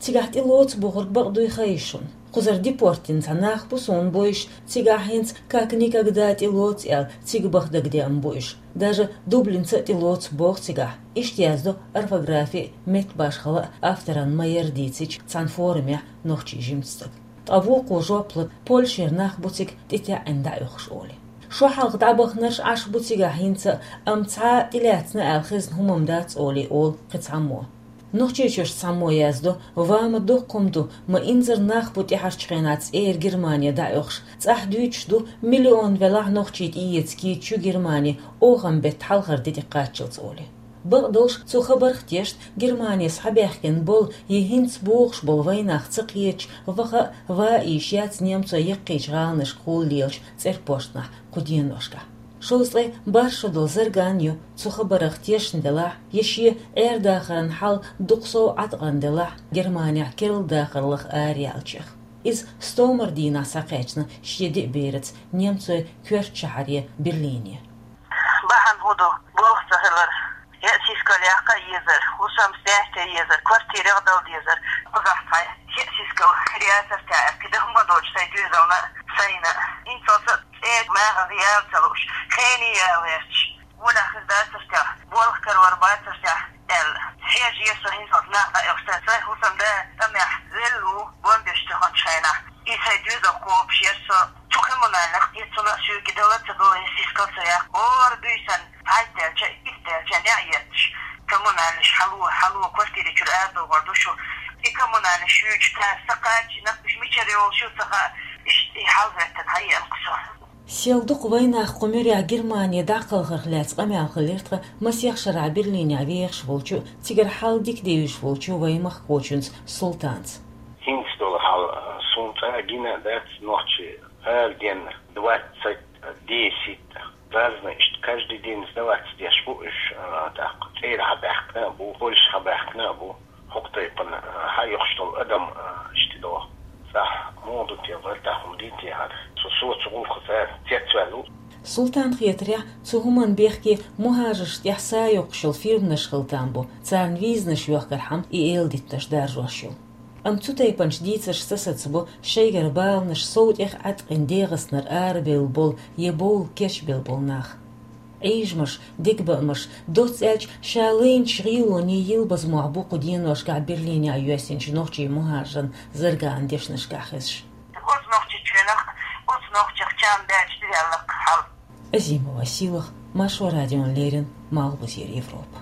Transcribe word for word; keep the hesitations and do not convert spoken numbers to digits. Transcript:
Цигахь тӀелоцу бохург бакъ дуй хаийша шуна. Кхузара депорт дина цхьа нах бу суна бовзуш, цигахь хӀинца как никогда тӀелоцу аьлла, цига баха дагадеана бу уьш. Даже Дублинца а тӀелоцу боху цигахь. Иштта яздо орфографи а, меттан башхалла а авторан ма-ярра дийцича цхьана форумехь нохчийн жимачу стага. Ткъа вукхо жоп ло, Польшера нах бу цига тӀетаьӀӀина дӀаоьхуш олий. Шо хьалха дӀабаханарш Ӏаш бу цигахь хӀинца а, амма цхьа а тӀелаьцна аьлла хезна хӀума-м дац олий олу кхин цхьаммо. Нохчийчуьрчу цхьаммо яздо, ва ма доккха хӀума ду, ма инзара нах бу тӀаьхьарчу хенахь цӀера Германе дӀаоьхуш. ЦӀахь дуьйцуш ду, миллион велахь нохчий тӀеэца кийча ю Германе, оханан беттан хьалхара де тӀекхаччалц олий. Бакъдолуш, цу хабарх тешна, Германе схьабаьхкина болу я хӀинца богӀуш болу вайнах ца кхеташ, ваха а, ва а йиш яц немцойн яккхийчу гӀаланашка гӀолла лелачу цӀерпошнахь кху деношкахь. Шовзткъе бархӀ шо долу Зарган ю, цу хабарх тешна делахь, я шен Ӏер-дахаран хьал дукха сов Ӏаткъам делахь, Германехь керла дахар лаха араяьллачех. Иза стомара дийнахь схьакхаьчна шен деа бераца немцойн коьртачу шахьаре Берлине. Бахьана хӀун ду, болх ца хилар, я сискал яккха а езар, хӀусам стенна а езар, квартирах а дала дезар, кхузахь цхьа я сискал хир яцара те аьлла, кхидӀа хӀума доцуш сайн доьзална а, сайна а, хӀинцалц а цӀера магӀаза яла ца лууш, хене яла гӀерташ, гӀолехь хир дацара те, болх карор бацара те аьлла, хьежа еза со хӀинцалц нах дӀаоьхуш, сайн хӀусам да тӀамехь велла ву, бомбеш тӀехӀоьттинчу хенахь. И сайн доьзал кхобуш яра со, цу коммунальных, и цунна а соьга дала а ца дала, я сискал ца яккха, хӀора буьйсанна, цхьайтта даьлча, итт даьлча, неӀ етташ, коммунальныш хьало, хьало, квартира чуьра арадохур ду шу. И коммунальныш юьйцуш цара са кхачийна, уьш мичара йолуш ю ца хаьа, иштта и хьал хӀоьттина хьаеана-кх со. Сел дукха вайнах кху муьрехь Германе дӀакхалхарх лаьцна къамел хилира тхан масех шарахь Берлинехь вехаш волчу, цигара хьал дика девзаш волчу вайн махкахочуьнца Султанца. ХӀинца долу хьал, а, суна цкъа а гина а дац, нохчий ала денна, двадцать, десять, разные, иштта каждый день сдаваться деш бу уьш, а, тӀаккха цӀера хьабаьхкина а бу, Польша хьабаьхкина а бу. ХӀокху тайпана, а, хьаоьхуш долу адам, а, иштта догӀу. ЦӀахь муха ду те, вартахь хӀума дий те хӀара? Со, со цу гӀуллакхаца цецваьлла ву. Султанна хетарехь, цу хӀуманна бехке мухӀажаршна тӀехь са йоккхуш йолу фирманаш хила там бу, царна визанаш йохкархьама и эладиттанаш даржош йолу. Амма цу тайпанчу дийцаршца сацабо шайгара баланаш сов тӀех Ӏаткъина ДегӀастанара арабевлла болу я бовла кечбелла болу нах. Ӏийжамаш, дегабаамаш, доцца аьлча, ша лайначу гӀелонийн йилбаза мохь бу кху деношкахь Берлинехь йоьссинчу нохчийн мухӀажаран Зарганан дешнашкахь хезаш. Оцу Нохчийчоьнах, оцу нохчех чам баьлча дӀаваьлла-кх хьал. Азимова Сийлаха, Маршо радиона леррина, Малхбузера Европа.